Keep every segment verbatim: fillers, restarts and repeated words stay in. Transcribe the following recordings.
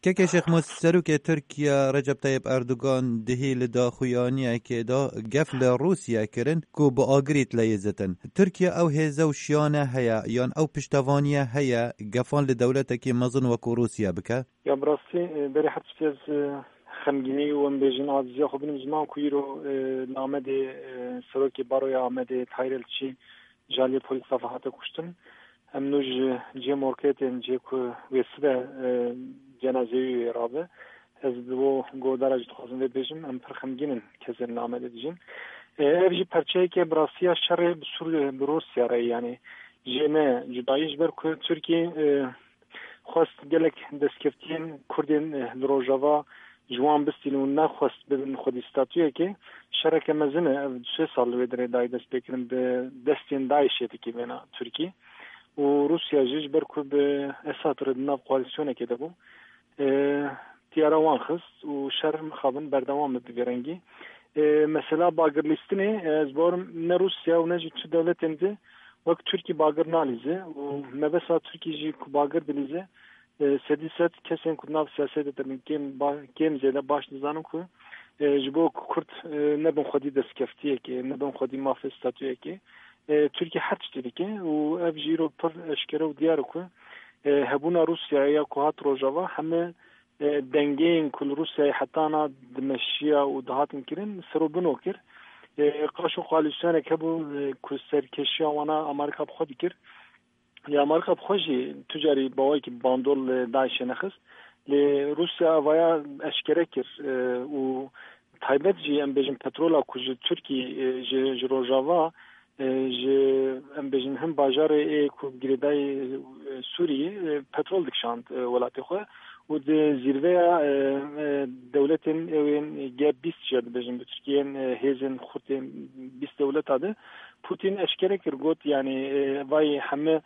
Kekê Şêxmûs, Serokê Tirkiye Recep Tayyip Erdogan dihî li daxuyaniyekê de gef li Rûsya kirin ku bi agirî tileyê zitin. Tirkiye ew hêze û şiyane heye yan ew piştevaniye heye gefan li dewletekî mezin wekû Rûsya bike? Ya bi rastî, e, berê her tiştî ez, e, xemgînî û em bêjin aciziya xwe binim ziman ku îro, e, li Amedê, e, Serokê Baroya Amedê Tahîr Elçî ji aliyê polîsa ve hate kuştin. Em nû ji cihê morkê tên, cihê ku wê sibe, e, cenazeyê wî wê rabe. Ez bi bo guhdara jî dixwazim vê bêjim, em pir xemgîn in kesên li Amedê dijîn. E, ev jî perçeyeke bi rastiya şerê bi Sûriye, bi Rûsya re ye. Yanî jê ne cudayî, ji ber ku Tirkî, e, xwest gelek destkeftiyên Kurdên, eh, li Rojava ji wan bistînin û nexwest bibin xwedî statuyekê. Şereke mezin e, ev du sê sal li wê derê dayê destpêkirin bi destên DAIŞê dikî vêna Tirkî. Û Rûsya jî ji ber ku bi Esad re di nav koalîsyonekê de bû, eh, tiyara wan xist û şer mixabin berdewam bi vê rengî. Eh, mesela bagirlîstinê, eh, ez bawerim ne Rûsya û ne jî tu dewletên di wek Tirkî bagir nalîze û mebesta Tirkî jî ku bagir dilîze, e, sedî sed kesên ku di nav siyasetê de bin kêm ba-, kêm zêde baş dizanin ku, e, ji bo ku Kurd, e, nebin xwedî destkeftiyekê, nebin xwedî mafê statuyekê, e, Tirkî her tiştî dike û ev jî îro pir eşkere û diyar e ku, e, hebûna Rûsyayê ya ku hat Rojava heme, e, dengeyên ku li Rûsyayê hetana dimeşiya û dihatin kirin, serobino kir. E, qaşo koalîsyonek hebû, e, ku serkêşiya wana Amerîka bi xwe dikir. Lê Amerîka bi xwe jî tu carî bi awayekî bandol li DAIŞê nexist. Lê Rûsya vaya eşkere kir, e, û taybet jî em bêjin petrola ku ji Tirkî, e, ji, ji Rojava, e, ji em bêjin hin bajarê ê ku girêdayî, e, Sûriyê, e, petrol dikişand, e, welatê xwe. Û di zîrveya, e, e, dewletên ewên G bîst jî dibêjin bi Tirkiyeyên, e, hêzên xurtên bîst dewleta de Putin eşkere kir, got, yanî, e, vayê heme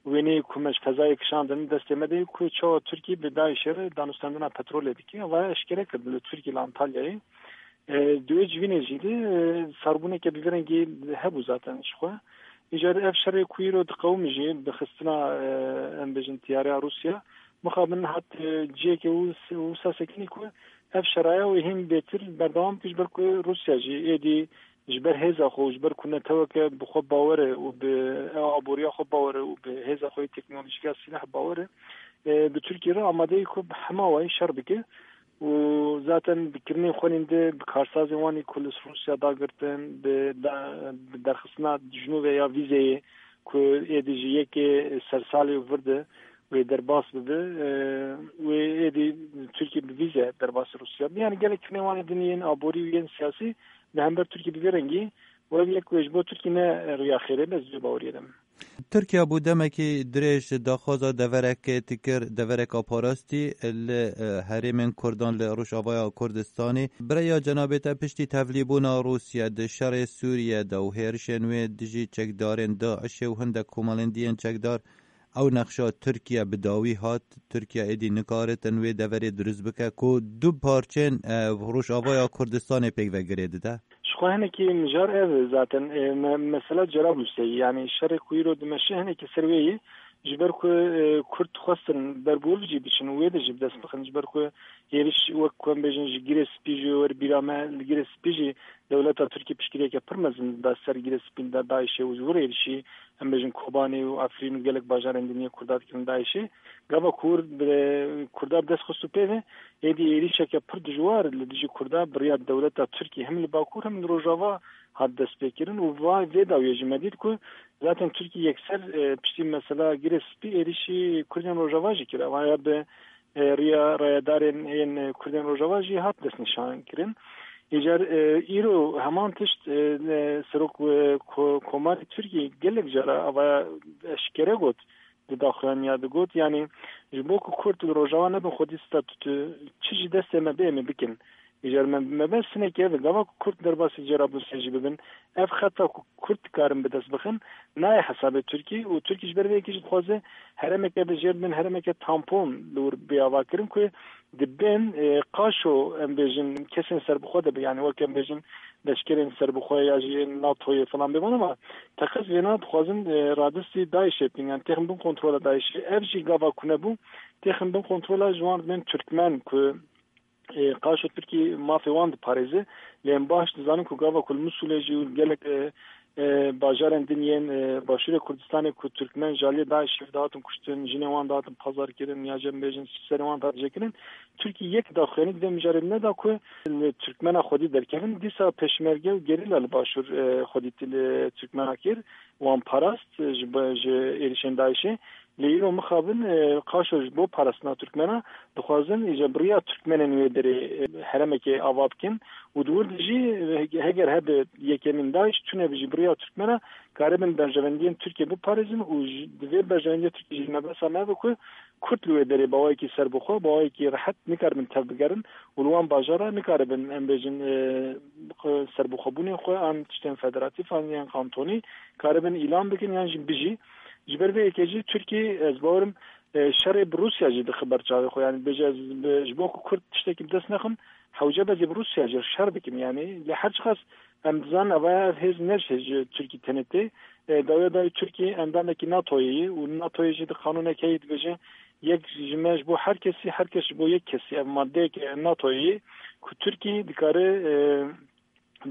wêneyê ku me ji fezayê kişandin destê me de ku çawa Tirkî bi DAIŞê re danûstendina petrolê dike. Vaya eşkere kir li Tirkî li Antalyayê. E, di wê civînê jî de, e, sarbûneke bi vî rengî hebû zaten ji xwe. Îcar ev şerê ku îro diqewim jî bi xistina, e, em bêjin tiyareya Rûsya, mixabin hat, e, cihekê wisa sekinî ku ev şeraya wê hîn bêtir berdewam bike, ji ber ku Rûsya jî êdî ji ber hêza xwe û ji ber ku neteweke bi xwe bawer e û bi ew aboriya xwe bawer e û bi hêza xwe yê teknolojîk ya sîleh bawer e, e, bi Tirkiyê re amade ye ku bi hema wayî şer bike. Û zaten bi kirinên xwe nîn de bi karsazên wan ê ku li Rûsya dagirtin, bi da-, bi derxistina dijnûvê ya vîzeyê ku êdî ji yekê sersalê û vir de wê derbas bibe, e, wê êdî Tirkî bi vîze derbas Rûsya be. Yanî gelek kirinên wan ê din yên aborî û yên siyasî li hember Tirkî bi vê rengî û ev yek wê ji bo Tirkî ne riya xêrê be, ez vê baweriyê de me. Tirkiye bû demekî dirêj daxwaza deverekê dikir, devereka parastî li, e, herêmên Kurdan li Rojavaya Kurdistanê. Bi rêya cenabê te piştî tevlîbûna Rûsya di şerê Sûriye de û hêrişên wê dijî çekdarên DAIŞê û hindek komelên diyên çekdar, ew nexşa Tirkiye bi dawî hat. Tirkiye êdî nikaritin wê deverê dirust bike ku du parçên, e, Rojavaya Kurdistanê pêk ve girê dide. Ji xwe hinekî mijar ev e zaten, e, me-, mesela Cerablusê, yanî şerê ku îro dimeşe hinekî ser wê ye, ji ber ku, e, Kurd dixwestin ber bi wir jî biçin û wê de jî bi dest bixin, ji ber ku êriş wek ku em bêjin ji Girê Spî jî wer bîra me, li Girê Spî jî dewleta Tirkî piştgiriyeke pir mezin da ser Girê Spî da DAIŞê û ji wir êrişî em bêjin Kobanê û Efrîn û gelek bajarên din yê Kurda dikirin DAIŞê. Gava ku wir bi Kurda bi dest xist û pê ve, êdî êrîşeke pir dijwar li dijî Kurda bi riya dewleta Tirkî hem li Bakur hem li Rojava hat destpêkirin û va-, vê dawiyê jî me dît ku zaten Tirkî yekser, e, piştî mesela Girê Spî êrîşî Kurdên Rojava jî kir. Ev ya bi, e, riya rayedarên yên, e, Kurdên Rojava jî hat destnîşankirin. Îcar, e, îro heman tişt, e, ne, serok, e, ko-, komarê Tirkî gelek cara avaya eşkere got, di daxuyaniya de got, yanî ji bo ku Kurd li Rojava nebin xwedî statû, çi ji destê me bê, em ê bikin. Îcar me, me bes hinekî ev e, gava ku Kurd derbasî Cerablusê jî bibin, ev xeta ku Kurd dikarin bi dest bixin, nayê hesabê Tirkî û Tirkî ji ber vê yekê jî dixwaze herêmeke bi jêr bin, herêmeke tampon li wir bê avakirin ku di bin, e, qaşo, em bêjin, kesên serbixwe de be, yanî wek em bêjin, leşkerên serbixwe ya jî yên NATOyê falan bêvan, ama teqez vêna dixwazin, e, radistî DAIŞê bikin, yani têxin bin kontrola DAIŞê. Ev jî gava ku nebû, têxin bin kontrola ji wan bên Türkmen ku, e, qaşo Tirkî mafê wan diparêze. Lê em baş dizanin ku gava ku li Misûlê jî û gelek, e, e, bajarên din yên, e, Başûrê Kurdistanê ku Türkmen ji aliyê DAIŞê dihatin kuştin, jinên wan dihatin pazar kirin ya jî em bêjin serê wan dihat jêkirin. Tirkî yek daxuyanî di vê mijarê de neda ku li Türkmena xwedî derkevin. Dîsa pêşmerge û gerîla li Başûr, e, xwedî li Türkmena kir, wan parast, e, ji, ji êrişên DAIŞê. Lê îro mixabin, e, qaşo ji bo parastina Türkmena dixwazin îca bi riya Türkmenên wê derê, e, heremekê ava bikin û di wir de jî, e, heger hebe yekemîn DAIŞ tune bi jî bi riya Türkmena karibin berjewendiyên Tirkiye biparêzin û ji, di vê berjewendiya Tirkiye jî mebesa me be ku Kurd li wê derê bi awayekî serbixwe, bi awayekî rehet nikaribin tev bigerin û li wan bajara nikaribin, em bêjin, e, serbixwebûnên xwe an tiştên federatîf an yan kantonî karibin îlan bikin yan jî bijî. Ji ber vê yekê jî Tirkî, ez bawerim, e, şerê bi Rûsya jî dixe ber çavê xwe. Yani bêje ez bi, ji bo ku Kurd tiştekî bi dest nexin, hewce be ez ê bi Rûsya jî şer bikim. Yani lê her çiqas em dizanin eva ev hêz ne ji hêz ji Tirkî tenê tê. E, dawiya dayê Tirkî endamekî NATOyê ye û NATOyê jî di qanûnekê heye dibêje yek ji me ji bo her kesî, her kes ji bo yek kesî. Ev maddeyeke NATOyê ye ku Tirkî dikare, e,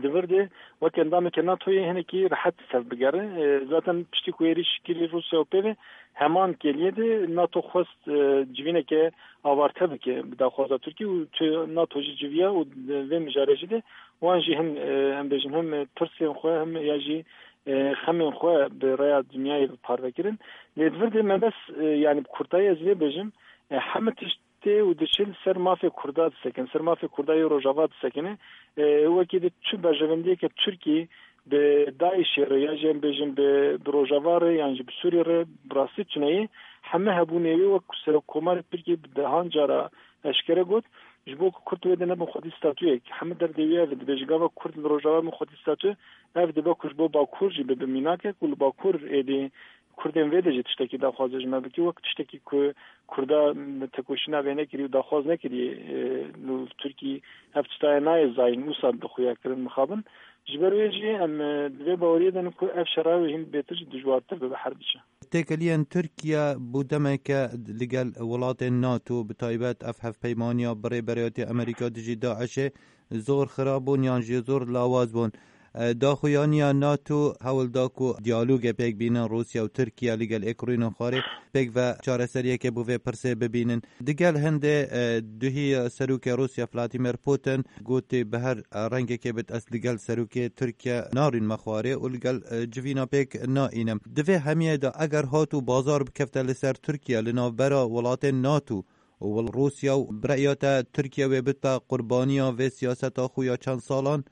di vir de wek endameke NATOyê hinekî rehet tev bigere. E, zaten piştî ku êrîş kirî Rûsya û pê ve heman kêliyê de NATO xwest, e, civîneke avarte bike bi daxwaza Tirkî û tu NATO jî civiya û di vê mijarê jî de wan jî hin, e, em bêjin, him tirsên xwe, him ya jî, e, xemên xwe bi rêya dinyayê bi parve kirin. Lê di vir de mebes, e, yani bi kurtayî ez vê bêjim, e, heme tişt tê û diçe li ser mafê Kurda disekin, ser mafê Kurda yê Rojava disekine. E, wekî di çi berjewendiyeke Tirkî bi DAIŞê re ya jî em bêjin bi, bi Rojava re yan jî bi Sûriyê re bi rastî tuneyê heme hebûnê wê wek Serokkomarê Tirkî bi dehan cara eşkere got, ji bo ku Kurd wê de nebin xwedî statuyek. Heme derdê wî ev e, dibêje gava Kurd li Rojava bin xwedî statu, ev dibe ku ji bo Bakur jî bibe mînakek û li Bakur êdî Kurdên vê de jî tiştekî daxwaze ji me bike, wek tiştekî ku Kurda tekoşîna vê nekirî û daxwaz nekirî, e, nû Tirkî ev tiştaya nayê zayîn, wisa dixuya kirin mixabin. Ji ber wê jî em, e, di vê baweriyê de ne ku ev şera wê hîn bêtir jî dijwartir bibe her biçe. Têkeliyên Tirkiye bû demeke li gel welatên NATO, bi taybet ev hevpeymaniya bi rêberiyatê Amerîka dijî DAIŞê zor xirab bûn yan jî zor lawaz bûn. E, daxuyaniya NATO hewl da ku diyalogê pêk bînin Rûsya û Tirkiye li gel êk rûyînên xwarê pêk ve çareseriyekê bo vê pirsê bibînin. Digel hindê, e, duhî serokê Rûsya Vladimir Putin gotê bi her rengekê bit ez li gel serokê Tirkiye narînme xwarê û li gel, e, civîna pêk naînim. Di vê hemiyê de eger hat û bazar bikefte li ser Tirkiye li navbera welatên NATO û wel Rûsya û bi reya te Tirkiye wê bite qurbaniya vê siyaseta xwe ya çend salan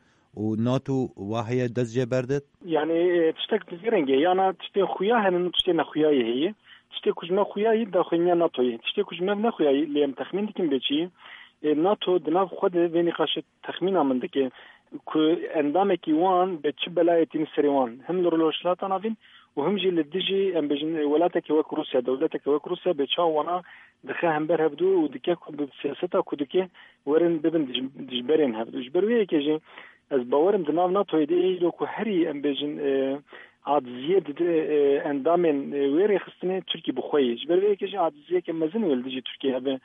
û NATO waheye dest jê berdit? Yani, e, tiştek di vê rengê, yana tiştên xuya hene û tiştên nexuyayê heye. Tiştê ku ji me xuya yî daxuyaniya NATOyê. Tiştê ku ji me nexuya yî, lê em texmîn dikin bê çi, e, NATO di nav xwe de vê nîqaşê texmîna min dike ku endamekî wan bi çi belayê tîne serê wan. Him li Rojhilata Navîn û him jî li dijî, em bêjin, welatekê wek Rûsya, dewleteke wek Rûsya bê çawa wana dixe hember hevdû û dike ku bi siyaseta ku dike werin bibin dij-, dijberên hevdû. Ji ber wê yekê jî ez bawerim di nav NATOyê de ê îro ku herî, em bêjin, e, aciziyê dide, e, endamên, e, wê rêxistinê Tirkî bi xwe yê. Ji ber vê yekê jî aciziyeke mezin wê li dijî Tirkiyê hebe.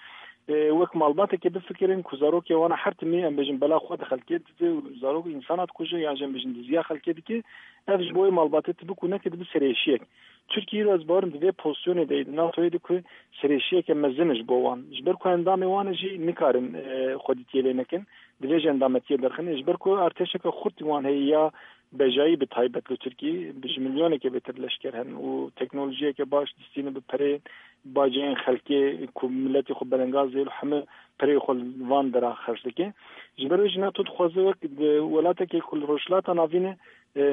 E, wek malbateke bifikirin ku zarokê wana her timî, em bêjin, bela xwe di xelkê dide û zarok însana dikuje yan jî, em bêjin, diziya xelkê dike. Ev ji bo wê malbatê tibik û neke dibe serêşiyek. Tirkî îro ez bawerim di vê pozisyonê de yê, di NATOyê de ku serêşiyeke mezin e ji bo wan. Ji ber ku endamê wan e jî nikarin, e, xwedîtiyê lê nekin. Divê ji endametiyê derxin. Ji ber ku artêşeke xurt wan heye ya bejayî bi taybet li Tirkî, bi ji milyoneke bêtir leşker hen û teknolojiyeke baş distîne bi perê baceyên xelkê ku miletê xwe belengaz dê û hemû perê xwe li van dera xerc dike. Ji ber wê jî NATO dixwaze wek di welatekê ku li Rojhilata Navîn e, e,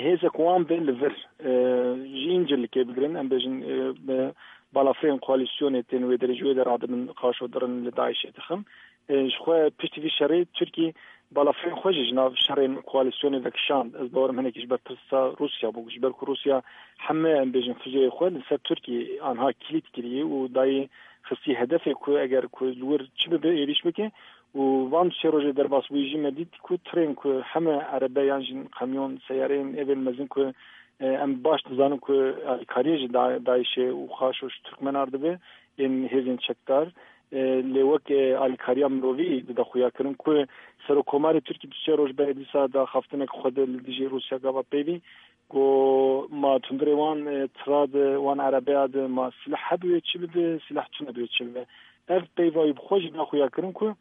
hêzek wan be li vir, e, ji Încirlikê bigirin, em bêjin, e, bi balafirên koalîsyonê tên wê derê ji wê de radibin, qaşo dirin li DAIŞê dixin. E, ji xwe piştî vî şerê Tirkî balafirên xwe jî ji nav şerên koalîsyonê vekişand. Ez bawerim hinekî ji ber tirsa Rûsya bû. Ji ber ku Rûsya heme, em bêjin, fuzeyê xwe li ser Tirkî anha kilît kiriye û dayê xistî hedefê ku eger ku li wir çi bibe êrîş bike Û van sê rojê derbasbûyî jî me dît ku tirên ku heme erebe yan jî qemyon, seyareyên evên mezin ku, e, em baş dizanin ku alîkariyê ji Da-, DAIŞê û xaşo ji Tirkmenar dibe, ên hêzên çekdar, e, lê wek, e, alîkariya mirovî dide xuyakirin ku Serokkomarê Tirkî du sê roj berê dîsa daxaftinek xwe de li dijî Rûsya gava peyvî, ku ma tundirê wan, e, tira de, wan erebeya de ma silah hebûye çi bibe, silah tune bûye çi bibe. Ev peyva wî bi xwe jî da xuyakirin ku,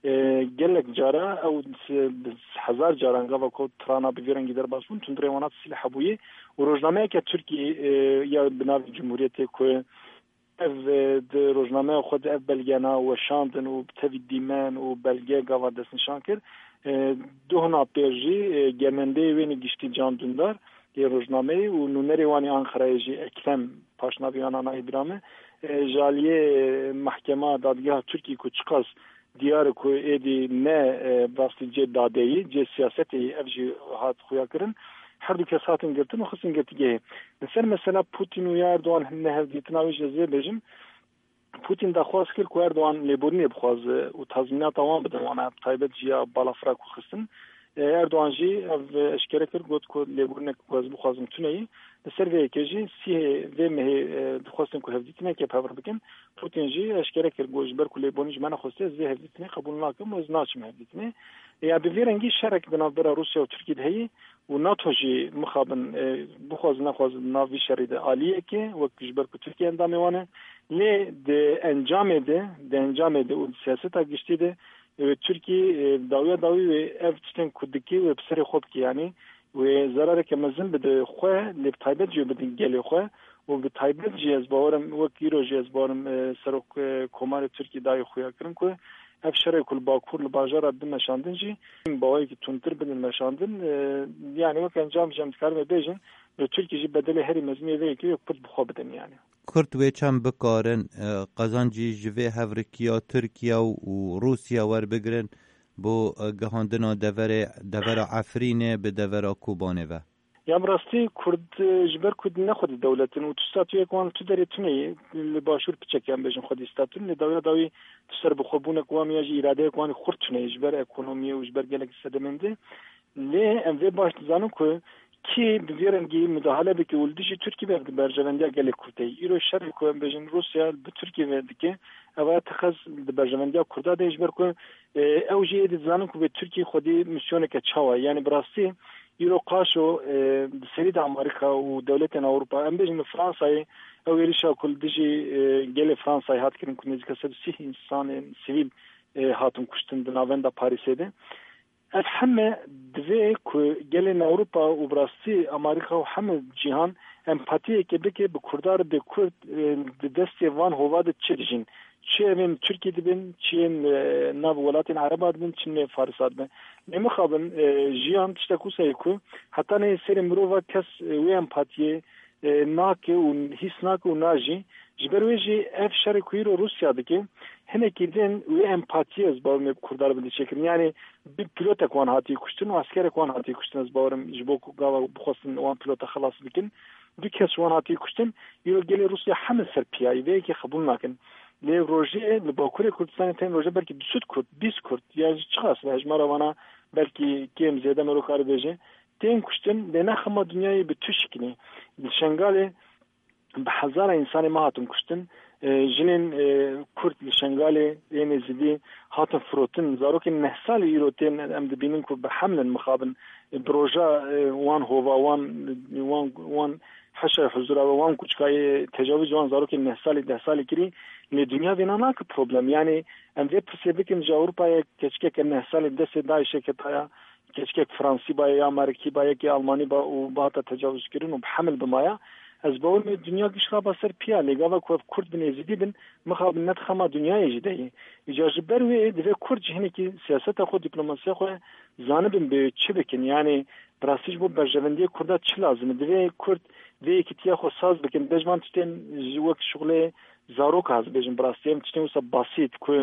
e, gelek cara ew s-, bi hezar caran gava ku tirana bi vî rengî derbas bûn, tundirê wan hat silah hebûyî û rojnameyeke Tirkî, e, ya bi navê Cumhuriyetê ku ev, e, di rojnameya xwe de ev belgeyana weşandin û bi tevî dîmen û belge gava destnîşan kir. E, du hona pêr jî, e, gemendeyê wênî giştî Can Dündar ê rojnameyê û nûnerê wan ê Anqerayê jî Ekrem, paşnavî wan a nayê bira me, e, ji aliyê mehkema dadgeha Tirkî ku çiqas diyar e ku êdî ne, e, bi rastî cê dadeyî, cê siyasetê yî, ev jî hat xuyakirin. Her du kes hatin girtin û xistin girtîgehê. Li ser mesela Putin û ya Erdogan ne hevdîtina wî jî ez vê bêjim. Putin daxwaz kir ku Erdogan lêborînê bixwaze û tazmînata wan bide wana, bi taybet jî ya balafira ku xistin. E, Erdogan jî ev eşkere kir, got ku lêborînek ku ez bixwazim tune ye. Li ser vê yekê jî sîhê vê mehê, e, dixwestin ku hevdîtineke bi hev re bikin. Putin jî eşkere kir, got, ji ber ku lêborîn ji me nexwestiye, ez vê hevdîtinê qebûl nakim û ez naçim hevdîtinê. Ya bi vî rengî şerek di navbera Rûsya û Tirkî de heye û NATO jî mixabin, e, bixwaze nexwaze di nav vî şerî de aliyek e, wek ji ber ku Tirkiye endamê wan e. Lê di encamê de, di encamê de û di siyaseta giştî de, e, Tirkî, e, dawiya dawî wê ev tiştên ku dike wê bi serê xwe bike, yanî wê zerareke mezin bide xwe, lê bi taybet jî wê bidin gelê xwe û bi taybet jî ez bawerim, wek îro jî ez bawerim, e, serok, e, komarê Tirkî dayê xuya kirin ku ev şerê ku li Bakur, li bajara din meşandin jî, bawayekî tundtir bidin meşandin. E, yanî wek encam jî em dikarime bêjin, li Tirkî jî bedelê herî mezin yê vê yekê yê Kurd bi xwe bidin yanî. Kurd wê çend bikarin, e, qezencî ji vê hevrikiya Tirkiye û, û Rûsya werbigirin bo, e, gihandina deverê, devera Efrînê bi devera Kobanê ve? Ya bi rastî Kurd, e, ji ber ku ne xwedî dewlet in û tu statuyek wan tu derê tune ye, li başûr piçek yan bêjin xwedî statu, lê dawiya dawî tu serbixwebûnek wan ya jî îradeyek wan xurt tune ye ji ber ekonomiyê û ji ber gelek sedemên din. Lê em vê baş dizanin ku kî bi vî rengî mudahale bike û li dijî Tirkî be, di berjevendiya gelê Kurd de ye. Îro şerê ku em bêjin Rûsya bi Tirkî ve dike, ev a teqez di berjevendiya Kurda de ye, ji ber ku, e, ew jî êdî dizanin ku vê Tirkî xwedî misyoneke çawa ye. Yanî bi rastî îro qaşo, e, di serî de Amerîka û dewletên Ewropa, em bêjin li Fransayê, ew êrişa ku li dijî, e, gelê Fransayê hat kirin ku nêzîka sed û sî însanên sivîl, e, hatin kuştin di navenda Parîsê de. Ev heme divê ku gelên Ewropa û bi rastî Amerîka û heme cîhan empatiyeke bike bi Kurda re, bê Kurd, e, di destê van hova de çi dijîn. Çi evên Tirkî dibin, çi yên, e, nav welatên Ereba dibin, çi nê Farisa dibin. Lê mixabin, e, jiyan tiştek wisa ye ku heta neyê serê mirova kes, e, wê empatiyê, e, nake û hîs nake û najî. Ji ber wê jî ev şerê ku îro Rûsya dike, hinekî din wê empatiyê ez bawer me bi Kurdan re bide çêkirin. Yanî du pîlotek wan hatiye kuştin û eskerek wan hatiye kuştin, ez bawerim ji bo ku gava bixwestin wan pîlota xelas bikin. Du kes wan hatiye kuştin. Îro gelê Rûsya heme ser piyayî vê yekê qebûl nakin. Lê rojê li Bakurê Kurdistanê tên roje belkî du sed Kurd, bîst Kurd, ya jî çiqas be hejmara wana belkî kêm zêde mero kare bêje, tên kuştin, lê ne hema dinyayê bi tu şikilî. Li Şengalê bi hezara însanê me hatin kuştin. E, jinên, e, Kurd li Şengalê ên Êzidî hatin firotin. Zarokên neh salî îro tên em dibînin ku bi hemlin mixabin. E, bi roja, e, wan hova, wan, wan, wan heşa huzura ve, wan kuçkayê tecavuz wan zarokên neh salî, deh salî kirî. Lê dinya vêna nake problem. Yanî em vê pirsê bikin ji Ewropayê, keçikeke neh salî destê DAIŞê ketaya, keçikek Fransî ba ya, ya Amerîkî ba, yekê Almanî ba û bihata tecawizkirin û bi hemil bimaya, ez bawer me dinya giş raba ser piya, lê gava ku ev Kurd bin, Êzidî bin, mixabin ne di xema dinyayê jî de ye. Îca ji ber wê divê Kurd jî hinekî siyaseta xwe, diplomasiya xwe zanibin bê çi bikin. Yanî bi rastî ji bo berjevendiyê Kurda çi lazim e? Divê Kurd vê yekîtiya xwe saz bikin. Dej van tiştên ji wek şuxulê zarok, ez bêjim, bi rastî em tiştên wisa basît ku,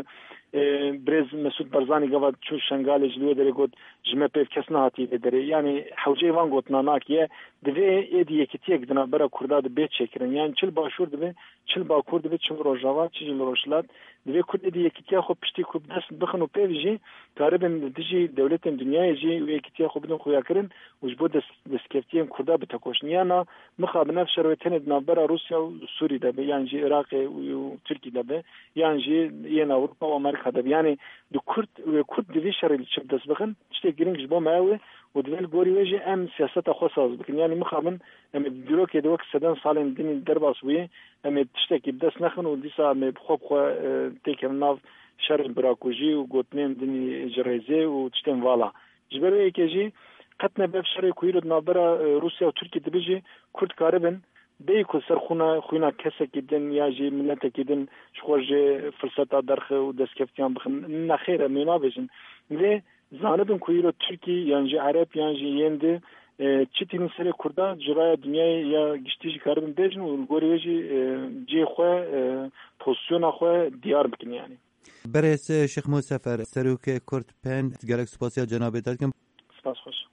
e, birêz Mesûd Barzanî gava çû Şengalê, ji li wê derê got, ji me pêv kes nehatiye vê derê. Yanî hewceyê van gotina nakiye, divê êdî yekîtiyek di navbera Kurda de bê çêkirin. Yanî çi li Başûr dibe, çi li Bakur dibe, çi li Rojava, çi jî li Rojhilat. Divê Kurd êdî yekîtiya xwe piştî ku bi dest bixin û pêv jî karibin li dijî dewletên dinyayê jî wê yekîtiya xwe bidin xuyakirin û ji bo dest-, destkeftiyên Kurda bitekoşin. Ya na, mixabin ev şer wê tenê di navbera Rûsya û Sûrî de be, yan jî Iraqê û, û Tirkî de be, yan jî yên Ewropa û Amerîka de be. Yanî di Kurd, wê Kurd di vî şerê li çi bi dest bixin, tiştê girîng ji bo me ew e û divê li gorî wê jî em siyaseta xwe saz bikin. Yanî mixabin em ê di dîrokê de wek seden salên dinî derbas bûye, em ê tiştekî bi dest nexin û dîsa em ê bi xwe bi xwe, e, têkevin nav şerên birakujî û gotinên dinî ji rêzê û tiştên vala. Ji ber wê yekê jî qet nebe ev şerê ku îro di navbera, e, Rûsya û Tirkî dibe jî Kurd karibin bêyî ku ser xwîna, xwîna kesekî din ya jî miletekî din ji xwe jê firseta derxe û destkeftiyan bixin. Nexêr, em wê nabêjin. Lê zanibin ku îro Tirkî yan jî Ereb yan jî yên di, e, çi tînin serê Kurda ji raya dinyayê ya giştî jî karibin bêjin û li gorî wê jî, e, cihê xwe, e, pozisyona xwe diyar bikin yanî. Berêz Şêx Mûsefer, serokê Kurd Pend, gelek spasiya cenabê te dikim. Spas xweş.